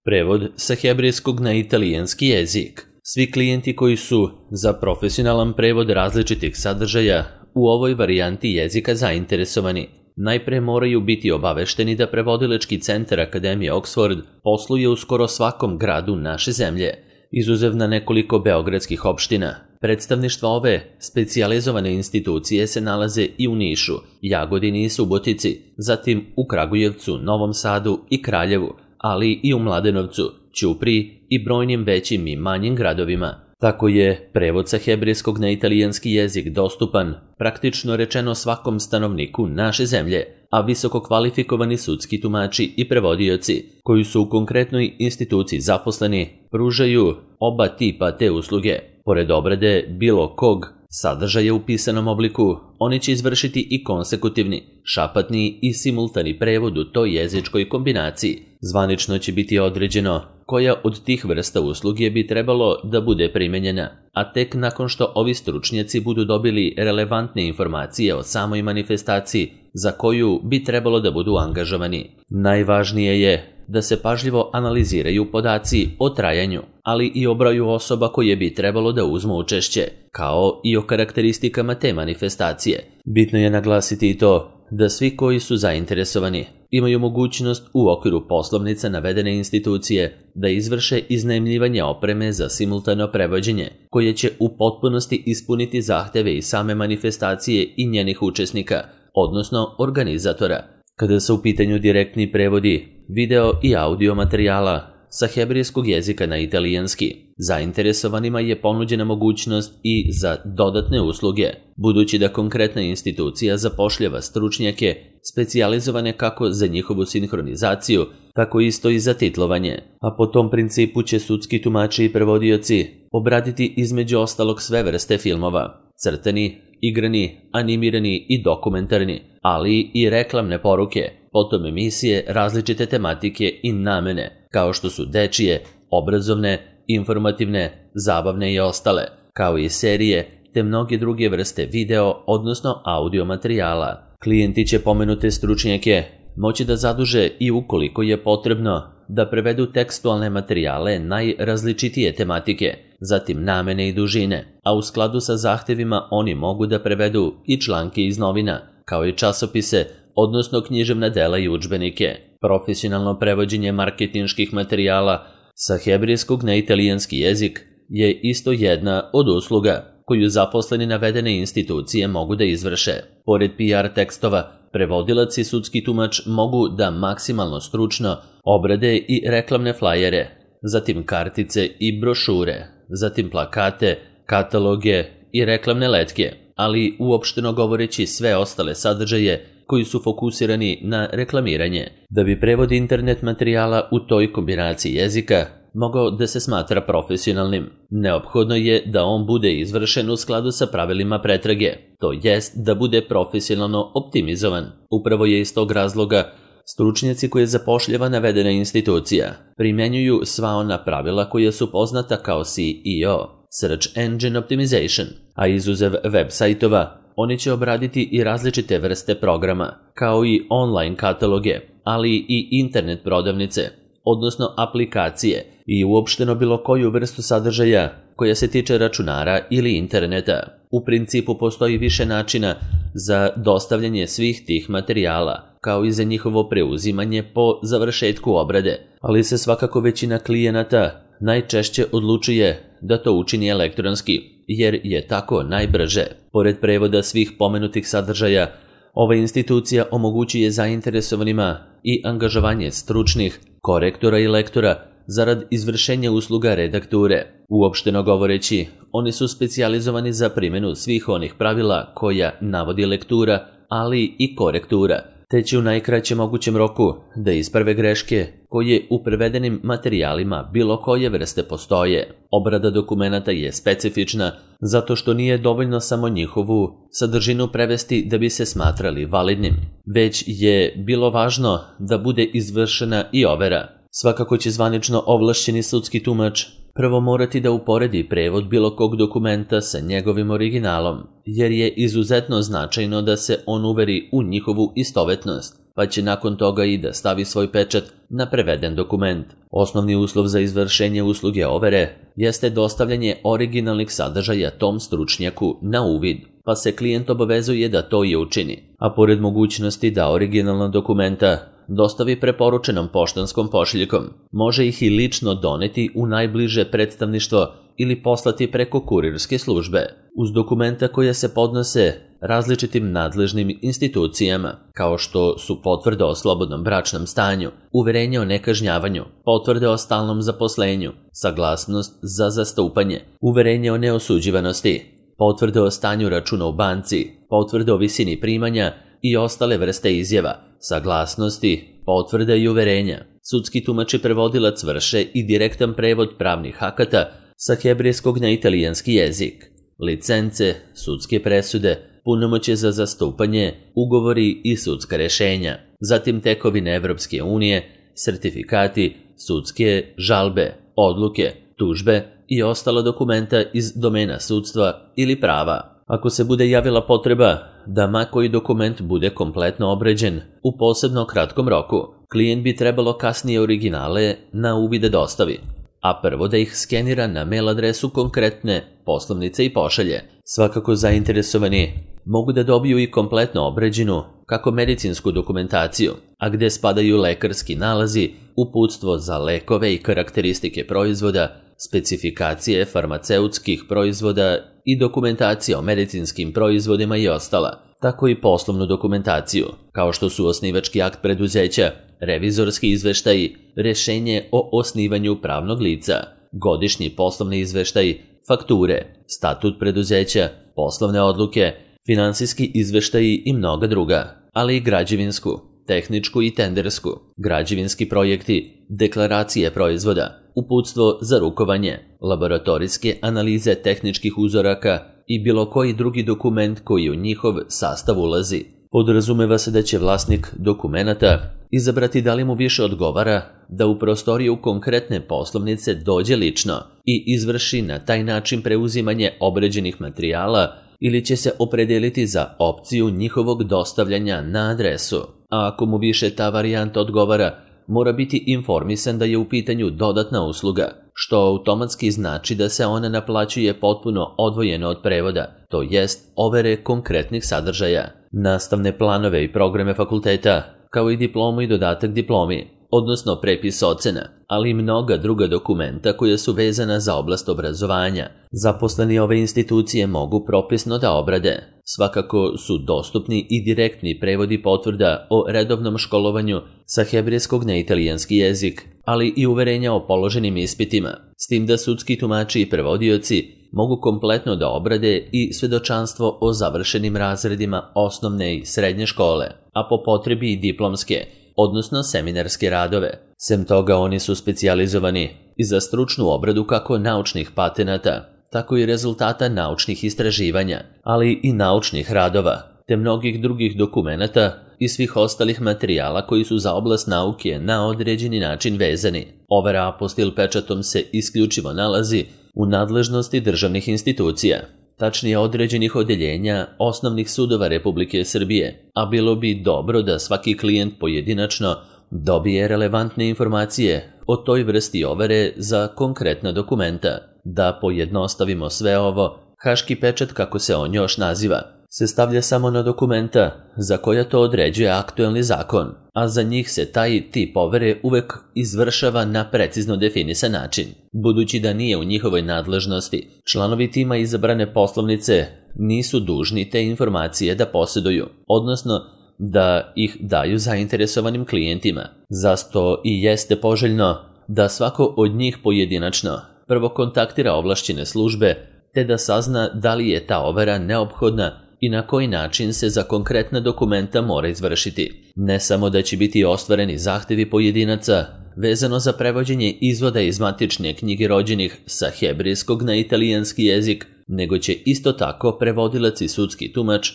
Prevod sa hebrejskog na italijanski jezik. Svi klijenti koji su za profesionalan prevod različitih sadržaja u ovoj varijanti jezika zainteresovani, najpre moraju biti obavešteni da Prevodilački centar Akademije Oxford posluje u skoro svakom gradu naše zemlje, izuzev na nekoliko beogradskih opština. Predstavništva ove specijalizovane institucije se nalaze i u Nišu, Jagodini i Subotici, zatim u Kragujevcu, Novom Sadu i Kraljevu, ali i u Mladenovcu, Ćupriji i brojnim većim i manjim gradovima. Tako je prevod sa hebrejskog na italijanski jezik dostupan, praktično rečeno svakom stanovniku naše zemlje, a visoko kvalifikovani sudski tumači i prevodioci, koji su u konkretnoj instituciji zaposleni, pružaju oba tipa te usluge. Pored obrade bilo kog sadržaja u pisanom obliku, oni će izvršiti i konsekutivni, šapatni i simultani prevod u toj jezičkoj kombinaciji. Zvanično će biti određeno koja od tih vrsta usluge bi trebalo da bude primenjena, a tek nakon što ovi stručnjaci budu dobili relevantne informacije o samoj manifestaciji za koju bi trebalo da budu angažovani. Najvažnije je da se pažljivo analiziraju podaci o trajanju, ali i o broju osoba koje bi trebalo da uzmu učešće, kao i o karakteristikama te manifestacije. Bitno je naglasiti i to da svi koji su zainteresovani imaju mogućnost u okviru poslovnica navedene institucije da izvrše iznajmljivanje opreme za simultano prevođenje, koje će u potpunosti ispuniti zahteve i same manifestacije i njenih učesnika, odnosno organizatora. Kada su u pitanju direktni prevodi video i audio materijala sa hebrejskog jezika na italijanski, zainteresovanima je ponuđena mogućnost i za dodatne usluge, budući da konkretna institucija zapošljava stručnjake specijalizovane kako za njihovu sinhronizaciju, tako isto i za titlovanje, a po tom principu će sudski tumači i prevodioci obraditi između ostalog sve vrste filmova, crtani, igrani, animirani i dokumentarni, ali i reklamne poruke, potom emisije različite tematike i namene, kao što su dečije, obrazovne, informativne, zabavne i ostale, kao i serije, te mnoge druge vrste video, odnosno audio materijala. Klijenti će pomenute stručnjake moći da zaduže i ukoliko je potrebno da prevedu tekstualne materijale najrazličitije tematike, zatim namene i dužine, a u skladu sa zahtevima oni mogu da prevedu i članke iz novina, kao i časopise, odnosno književna dela i udžbenike. Profesionalno prevođenje marketinških materijala sa hebrejskog na italijanski jezik je isto jedna od usluga koju zaposleni navedene institucije mogu da izvrše. Pored PR tekstova, prevodilac i sudski tumač mogu da maksimalno stručno obrade i reklamne flajere, zatim kartice i brošure, zatim plakate, kataloge i reklamne letke, ali uopšteno govoreći sve ostale sadržaje koji su fokusirani na reklamiranje. Da bi prevod internet materijala u toj kombinaciji jezika mogao da se smatra profesionalnim, neophodno je da on bude izvršen u skladu sa pravilima pretrage, to jest da bude profesionalno optimizovan. Upravo je iz tog razloga stručnjaci koje zapošljava navedena institucija primenjuju sva ona pravila koja su poznata kao SEO, Search Engine Optimization, a izuzev web sajtova, oni će obraditi i različite vrste programa, kao i online kataloge, ali i internet prodavnice, odnosno aplikacije i uopšteno bilo koju vrstu sadržaja koja se tiče računara ili interneta. U principu postoji više načina za dostavljanje svih tih materijala, kao i za njihovo preuzimanje po završetku obrade, ali se svakako većina klijenata najčešće odlučuje da to učini elektronski, jer je tako najbrže. Pored prevoda svih pomenutih sadržaja, ova institucija omogućuje zainteresovanima i angažovanje stručnih korektora i lektora zarad izvršenja usluga redakture. Uopšteno govoreći, oni su specijalizovani za primjenu svih onih pravila koja navodi lektura, ali i korektura, te će u najkraćem mogućem roku da isprave greške koje u prevedenim materijalima bilo koje vrste postoje. Obrada dokumenata je specifična zato što nije dovoljno samo njihovu sadržinu prevesti da bi se smatrali validnim, već je bilo važno da bude izvršena i overa. Svakako će zvanično ovlašćeni sudski tumač prvo morati da uporedi prevod bilo kog dokumenta sa njegovim originalom, jer je izuzetno značajno da se on uveri u njihovu istovetnost, pa će nakon toga i da stavi svoj pečat na preveden dokument. Osnovni uslov za izvršenje usluge overe jeste dostavljanje originalnih sadržaja tom stručnjaku na uvid, pa se klijent obavezuje da to i učini, a pored mogućnosti da originalna dokumenta dostavi preporučenom poštanskom pošiljkom, može ih i lično doneti u najbliže predstavništvo ili poslati preko kurirske službe, uz dokumenta koja se podnose različitim nadležnim institucijama, kao što su potvrde o slobodnom bračnom stanju, uverenje o nekažnjavanju, potvrde o stalnom zaposlenju, saglasnost za zastupanje, uverenje o neosuđivanosti, potvrde o stanju računa u banci, potvrde o visini primanja i ostale vrste izjava, saglasnosti, potvrde i uverenja. Sudski tumač i prevodilac vrše i direktan prevod pravnih akata sa hebrejskog na italijanski jezik. Licence, sudske presude, punomoćje za zastupanje, ugovori i sudska rešenja. Zatim tekovine Evropske unije, sertifikati, sudske žalbe, odluke, tužbe i ostala dokumenta iz domena sudstva ili prava. Ako se bude javila potreba da ma koji dokument bude kompletno obrađen u posebno kratkom roku, klijent bi trebalo kasnije originale na uvide dostavi, a prvo da ih skenira na mail adresu konkretne poslovnice i pošalje. Svakako zainteresovani mogu da dobiju i kompletno obrađenu kako medicinsku dokumentaciju, a gde spadaju lekarski nalazi, uputstvo za lekove i karakteristike proizvoda, specifikacije farmaceutskih proizvoda i dokumentacija o medicinskim proizvodima i ostala, tako i poslovnu dokumentaciju, kao što su osnivački akt preduzeća, revizorski izveštaji, rešenje o osnivanju pravnog lica, godišnji poslovni izveštaji, fakture, statut preduzeća, poslovne odluke, finansijski izveštaji i mnoga druga, ali i građevinsku, tehničku i tendersku, građevinski projekti, deklaracije proizvoda, uputstvo za rukovanje, laboratorijske analize tehničkih uzoraka i bilo koji drugi dokument koji u njihov sastav ulazi. Podrazumeva se da će vlasnik dokumenata izabrati da li mu više odgovara da u prostoriju konkretne poslovnice dođe lično i izvrši na taj način preuzimanje obrađenih materijala ili će se opredeliti za opciju njihovog dostavljanja na adresu. A ako mu više ta varijanta odgovara, mora biti informisan da je u pitanju dodatna usluga, što automatski znači da se ona naplaćuje potpuno odvojeno od prevoda, to jest overe konkretnih sadržaja, nastavne planove i programe fakulteta, kao i diplomu i dodatak diplomi, odnosno prepis ocena, ali i mnoga druga dokumenta koja su vezana za oblast obrazovanja. Zaposleni ove institucije mogu propisno da obrade. Svakako su dostupni i direktni prevodi potvrda o redovnom školovanju sa hebrejskog na italijanski jezik, ali i uverenja o položenim ispitima, s tim da sudski tumači i prevodioci mogu kompletno da obrade i svedočanstvo o završenim razredima osnovne i srednje škole, a po potrebi i diplomske, odnosno seminarske radove. Sem toga oni su specijalizovani i za stručnu obradu kako naučnih patenata, tako i rezultata naučnih istraživanja, ali i naučnih radova, te mnogih drugih dokumenata i svih ostalih materijala koji su za oblast nauke na određeni način vezani. Overa apostil pečatom se isključivo nalazi u nadležnosti državnih institucija, tačnije određenih odeljenja osnovnih sudova Republike Srbije, a bilo bi dobro da svaki klijent pojedinačno dobije relevantne informacije o toj vrsti overe za konkretna dokumenta. Da pojednostavimo sve ovo, haški pečat, kako se on još naziva, se stavlja samo na dokumenta za koja to određuje aktuelni zakon, a za njih se taj tip overe uvek izvršava na precizno definisan način. Budući da nije u njihovoj nadležnosti, članovi tima izabrane poslovnice nisu dužni te informacije da posjeduju, odnosno da ih daju zainteresovanim klijentima. Zato i jeste poželjno da svako od njih pojedinačno prvo kontaktira ovlašćene službe, te da sazna da li je ta overa neophodna i na koji način se za konkretna dokumenta mora izvršiti. Ne samo da će biti ostvareni zahtevi pojedinaca vezano za prevođenje izvoda iz matične knjige rođenih sa hebrejskog na italijanski jezik, nego će isto tako prevodilac i sudski tumač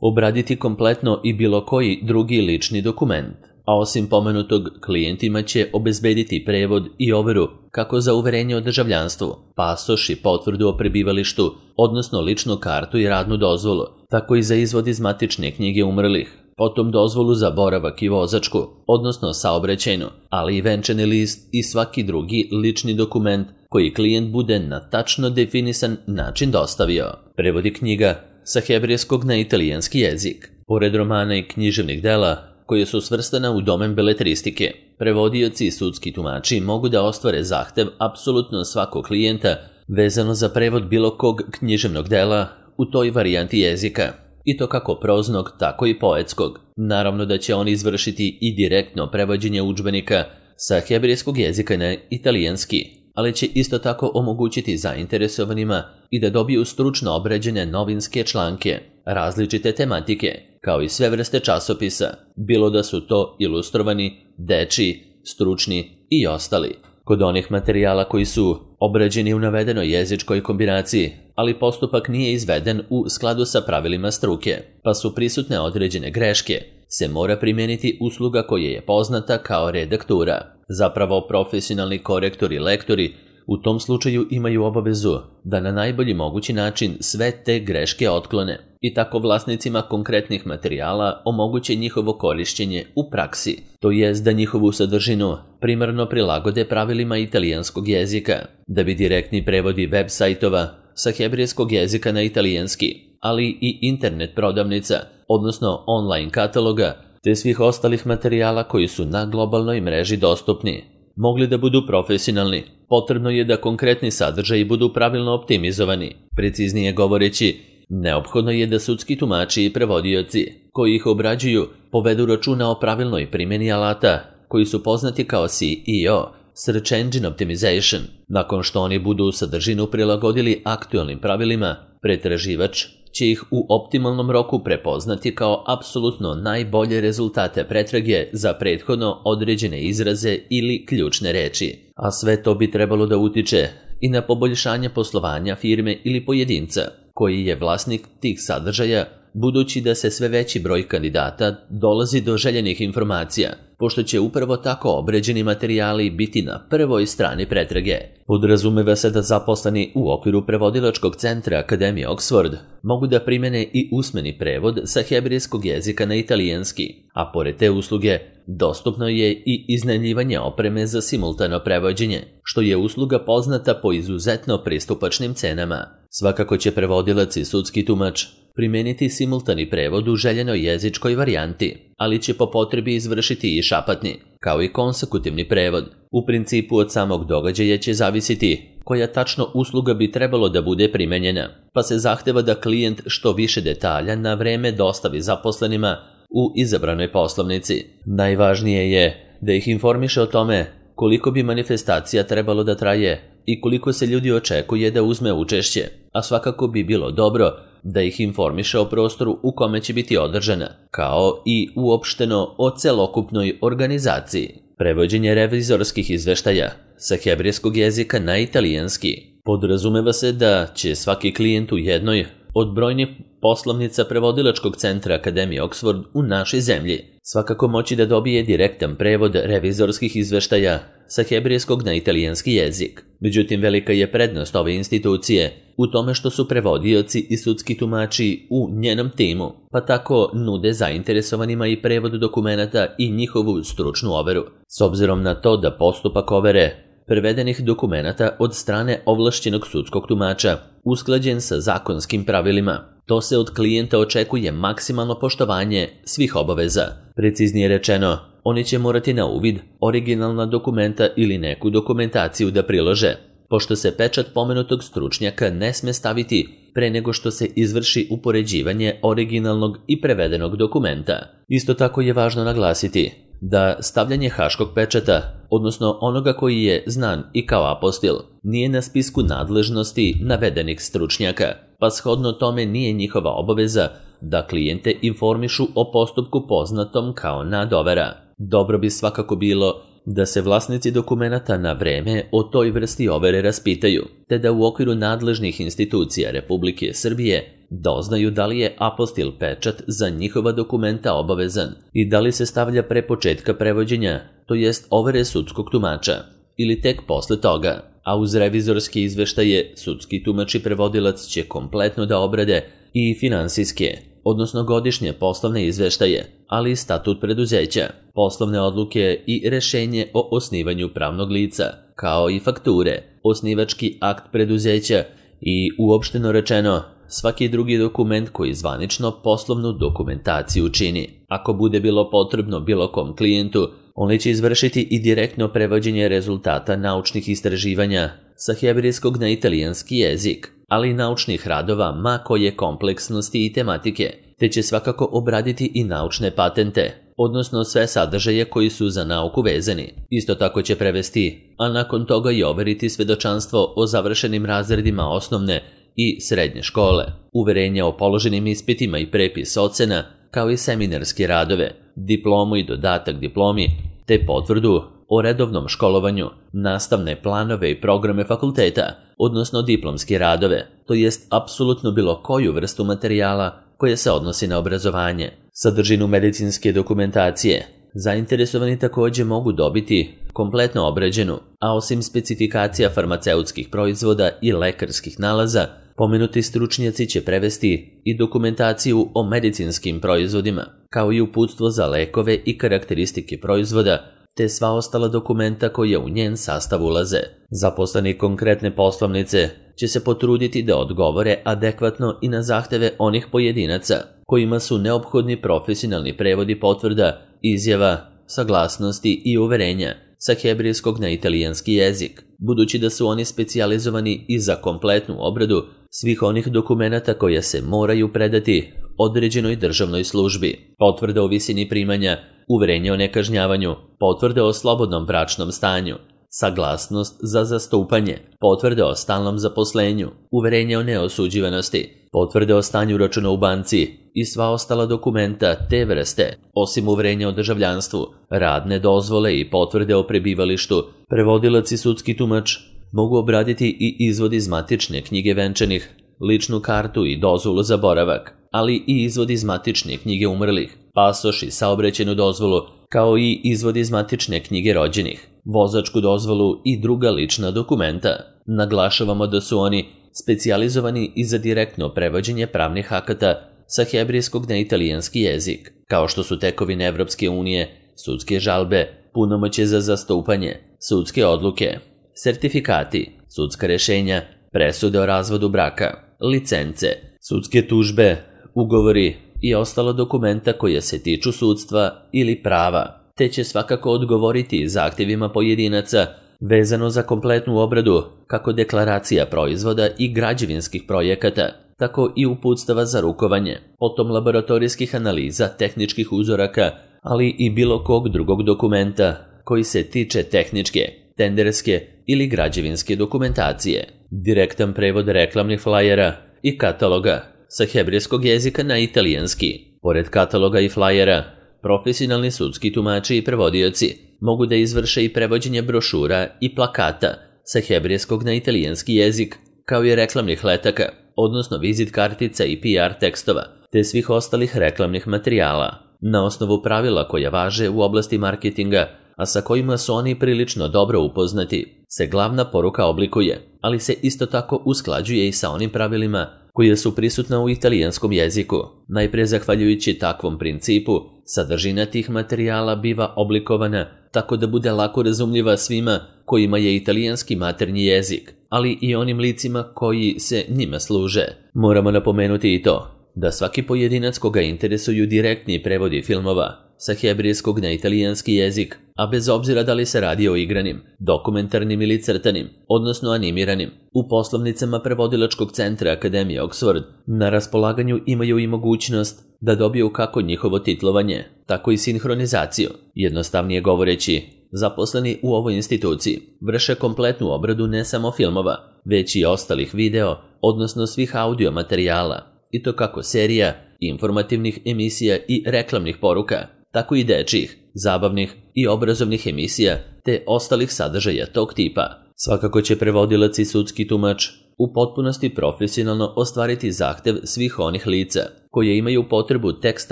obraditi kompletno i bilo koji drugi lični dokument. A osim pomenutog, klijentima će obezbediti prevod i overu kako za uverenje o državljanstvu, pasoš i potvrdu o prebivalištu, odnosno ličnu kartu i radnu dozvolu, tako i za izvod iz matične knjige umrlih, potom dozvolu za boravak i vozačku, odnosno saobraćajnu, ali i venčani list i svaki drugi lični dokument koji klijent bude na tačno definisan način dostavio. Prevodi knjiga sa hebrejskog na italijanski jezik. Pored romana i književnih dela, koje su svrstana u domen beletristike, prevodioci i sudski tumači mogu da ostvare zahtev apsolutno svakog klijenta vezano za prevod bilo kog književnog dela u toj varijanti jezika, i to kako proznog, tako i poetskog. Naravno da će oni izvršiti i direktno prevođenje udžbenika sa hebrejskog jezika na italijanski, ali će isto tako omogućiti zainteresovanima i da dobiju stručno obrađene novinske članke, različite tematike, kao i sve vrste časopisa, bilo da su to ilustrovani, dečiji, stručni i ostali. Kod onih materijala koji su obrađeni u navedenoj jezičkoj kombinaciji, ali postupak nije izveden u skladu sa pravilima struke, pa su prisutne određene greške, se mora primijeniti usluga koja je poznata kao redaktura. Zapravo, profesionalni korektori i lektori u tom slučaju imaju obavezu da na najbolji mogući način sve te greške otklone i tako vlasnicima konkretnih materijala omoguće njihovo korišćenje u praksi, to jest da njihovu sadržinu primarno prilagode pravilima italijanskog jezika, da bi direktni prevodi web sajtova sa hebrejskog jezika na italijanski, ali i internet prodavnica, odnosno online kataloga, te svih ostalih materijala koji su na globalnoj mreži dostupni, mogli da budu profesionalni. Potrebno je da konkretni sadržaji budu pravilno optimizovani. Preciznije govoreći, neophodno je da sudski tumači i prevodioci koji ih obrađuju povedu računa o pravilnoj primjeni alata koji su poznati kao SEO, Search Engine Optimization. Nakon što oni budu sadržinu prilagodili aktualnim pravilima, pretraživač će ih u optimalnom roku prepoznati kao apsolutno najbolje rezultate pretrage za prethodno određene izraze ili ključne reči. A sve to bi trebalo da utiče i na poboljšanje poslovanja firme ili pojedinca, koji je vlasnik tih sadržaja, budući da se sve veći broj kandidata dolazi do željenih informacija, pošto će upravo tako obrađeni materijali biti na prvoj strani pretrage. Podrazumeva se da zaposleni u okviru prevodilačkog centra Akademije Oxford mogu da primene i usmeni prevod sa hebrejskog jezika na italijanski, a pored te usluge dostupno je i iznajmljivanje opreme za simultano prevođenje, što je usluga poznata po izuzetno pristupačnim cenama. Svakako će prevodilac i sudski tumač primeniti simultani prevod u željenoj jezičkoj varijanti, ali će po potrebi izvršiti i šapatni, kao i konsekutivni prevod. U principu od samog događaja će zavisiti koja tačno usluga bi trebalo da bude primenjena, pa se zahteva da klijent što više detalja na vreme dostavi zaposlenima u izabranoj poslovnici. Najvažnije je da ih informiše o tome koliko bi manifestacija trebalo da traje i koliko se ljudi očekuje da uzme učešće, a svakako bi bilo dobro da ih informiše o prostoru u kome će biti održana, kao i uopšteno o celokupnoj organizaciji. Prevođenje revizorskih izveštaja sa hebrejskog jezika na italijanski. Podrazumeva se da će svaki klijent u jednoj od brojnih poslovnica prevodilačkog centra Akademije Oxford u našoj zemlji svakako moći da dobije direktan prevod revizorskih izveštaja sa hebrejskog na italijanski jezik. Međutim, velika je prednost ove institucije u tome što su prevodioci i sudski tumači u njenom timu, pa tako nude zainteresovanima i prevod dokumenata i njihovu stručnu overu. S obzirom na to da postupak overe prevedenih dokumenata od strane ovlašćenog sudskog tumača usklađen sa zakonskim pravilima, to se od klijenta očekuje maksimalno poštovanje svih obaveza. Preciznije rečeno, oni će morati na uvid originalna dokumenta ili neku dokumentaciju da prilože, pošto se pečat pomenutog stručnjaka ne sme staviti pre nego što se izvrši upoređivanje originalnog i prevedenog dokumenta. Isto tako je važno naglasiti da stavljanje haškog pečata, odnosno onoga koji je znan i kao apostil, nije na spisku nadležnosti navedenih stručnjaka, pa shodno tome nije njihova obaveza da klijente informišu o postupku poznatom kao nadovera. Dobro bi svakako bilo da se vlasnici dokumenata na vreme o toj vrsti overe raspitaju, te da u okviru nadležnih institucija Republike Srbije doznaju da li je apostil pečat za njihova dokumenta obavezan i da li se stavlja pre početka prevođenja, to jest overe sudskog tumača, ili tek posle toga, a uz revizorske izveštaje sudski tumač i prevodilac će kompletno da obrade i finansijske, odnosno godišnje poslovne izveštaje, ali i statut preduzeća, poslovne odluke i rešenje o osnivanju pravnog lica, kao i fakture, osnivački akt preduzeća i, uopšteno rečeno, svaki drugi dokument koji zvanično poslovnu dokumentaciju čini. Ako bude bilo potrebno bilo kom klijentu, oni će izvršiti i direktno prevođenje rezultata naučnih istraživanja sa hebrejskog na italijanski jezik, ali i naučnih radova ma koje kompleksnosti i tematike, te će svakako obraditi i naučne patente, odnosno sve sadržaje koji su za nauku vezani. Isto tako će prevesti, a nakon toga i overiti svedočanstvo o završenim razredima osnovne i srednje škole, uverenja o položenim ispitima i prepis ocena, kao i seminarske radove, diplomu i dodatak diplomi, te potvrdu o redovnom školovanju, nastavne planove i programe fakulteta, odnosno diplomske radove, to jest apsolutno bilo koju vrstu materijala koje se odnosi na obrazovanje. Sadržinu medicinske dokumentacije zainteresovani također mogu dobiti kompletno obrađenu, a osim specifikacija farmaceutskih proizvoda i lekarskih nalaza, pomenuti stručnjaci će prevesti i dokumentaciju o medicinskim proizvodima, kao i uputstvo za lekove i karakteristike proizvoda, te sva ostala dokumenta koja u njen sastav ulaze. Zaposleni konkretne poslovnice će se potruditi da odgovore adekvatno i na zahteve onih pojedinaca kojima su neophodni profesionalni prevodi potvrda, izjava, saglasnosti i uverenja sa hebrejskog na italijanski jezik, budući da su oni specijalizovani i za kompletnu obradu svih onih dokumenata koja se moraju predati određenoj državnoj službi, potvrda o visini primanja, uverenje o nekažnjavanju, potvrde o slobodnom bračnom stanju, saglasnost za zastupanje, potvrde o stalnom zaposlenju, uverenje o neosuđivanosti, potvrde o stanju računa u banci i sva ostala dokumenta te vrste, osim uverenja o državljanstvu, radne dozvole i potvrde o prebivalištu, prevodilac i sudski tumač mogu obraditi i izvod iz matične knjige venčanih, ličnu kartu i dozvolu za boravak, ali i izvod iz matične knjige umrlih, pasoš i saobraćajnu dozvolu, kao i izvod iz matične knjige rođenih, vozačku dozvolu i druga lična dokumenta. Naglašavamo da su oni specijalizovani i za direktno prevođenje pravnih akata sa hebrejskog na italijanski jezik, kao što su tekovine Evropske unije, sudske žalbe, punomoćje za zastupanje, sudske odluke, sertifikati, sudska rešenja, presude o razvodu braka, licence, sudske tužbe, ugovori i ostala dokumenta koja se tiču sudstva ili prava, te će svakako odgovoriti zahtjevima pojedinaca vezano za kompletnu obradu kako deklaracija proizvoda i građevinskih projekata, tako i uputstava za rukovanje, potom laboratorijskih analiza tehničkih uzoraka, ali i bilo kog drugog dokumenta koji se tiče tehničke, tenderske ili građevinske dokumentacije, direktan prevod reklamnih flajera i kataloga sa hebrejskog jezika na italijanski. Pored kataloga i flajera, profesionalni sudski tumači i prevodioci mogu da izvrše i prevođenje brošura i plakata sa hebrejskog na italijanski jezik, kao i reklamnih letaka, odnosno vizit kartica i PR tekstova, te svih ostalih reklamnih materijala. Na osnovu pravila koja važe u oblasti marketinga, a sa kojima su oni prilično dobro upoznati, se glavna poruka oblikuje, ali se isto tako usklađuje i sa onim pravilima koje su prisutna u italijanskom jeziku. Najprije zahvaljujući takvom principu, sadržina tih materijala biva oblikovana tako da bude lako razumljiva svima kojima je italijanski maternji jezik, ali i onim licima koji se njima služe. Moramo napomenuti i to da svaki pojedinac koga interesuju direktni prevodi filmova sa hebrejskog na italijanski jezik, a bez obzira da li se radi o igranim, dokumentarnim ili crtanim, odnosno animiranim, u poslovnicama prevodilačkog centra Akademije Oxford na raspolaganju imaju i mogućnost da dobiju kako njihovo titlovanje, tako i sinhronizaciju. Jednostavnije govoreći, zaposleni u ovoj instituciji vrše kompletnu obradu ne samo filmova, već i ostalih video, odnosno svih audio materijala, i to kako serija, informativnih emisija i reklamnih poruka, tako i dečjih, zabavnih i obrazovnih emisija, te ostalih sadržaja tog tipa. Svakako će prevodilac i sudski tumač u potpunosti profesionalno ostvariti zahtev svih onih lica koje imaju potrebu tekst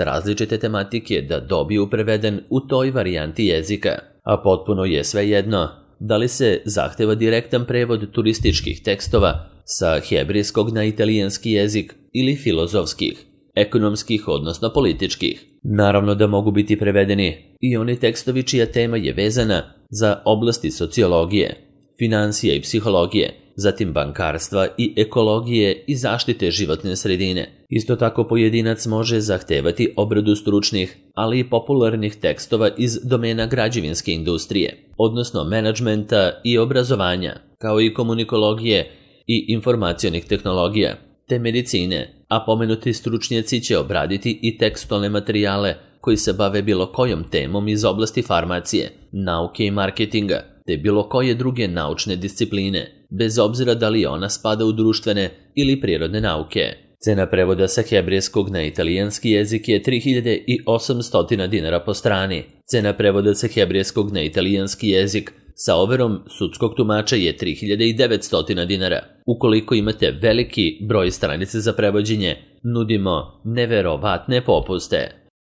različite tematike da dobiju preveden u toj varijanti jezika, a potpuno je svejedno da li se zahteva direktan prevod turističkih tekstova sa hebrejskog na italijanski jezik ili filozofskih, ekonomskih odnosno političkih. Naravno da mogu biti prevedeni i oni tekstovi čija tema je vezana za oblasti sociologije, financija i psihologije, zatim bankarstva i ekologije i zaštite životne sredine. Isto tako pojedinac može zahtevati obradu stručnih, ali i popularnih tekstova iz domena građevinske industrije, odnosno menadžmenta i obrazovanja, kao i komunikologije i informacionih tehnologija, te medicine, a pomenuti stručnjaci će obraditi i tekstualne materijale koji se bave bilo kojom temom iz oblasti farmacije, nauke i marketinga, te bilo koje druge naučne discipline, bez obzira da li ona spada u društvene ili prirodne nauke. Cena prevoda sa hebrejskog na italijanski jezik je 3800 dinara po strani. Cena prevoda sa hebrejskog na italijanski jezik sa overom sudskog tumača je 3900 dinara. Ukoliko imate veliki broj stranice za prevođenje, nudimo neverovatne popuste.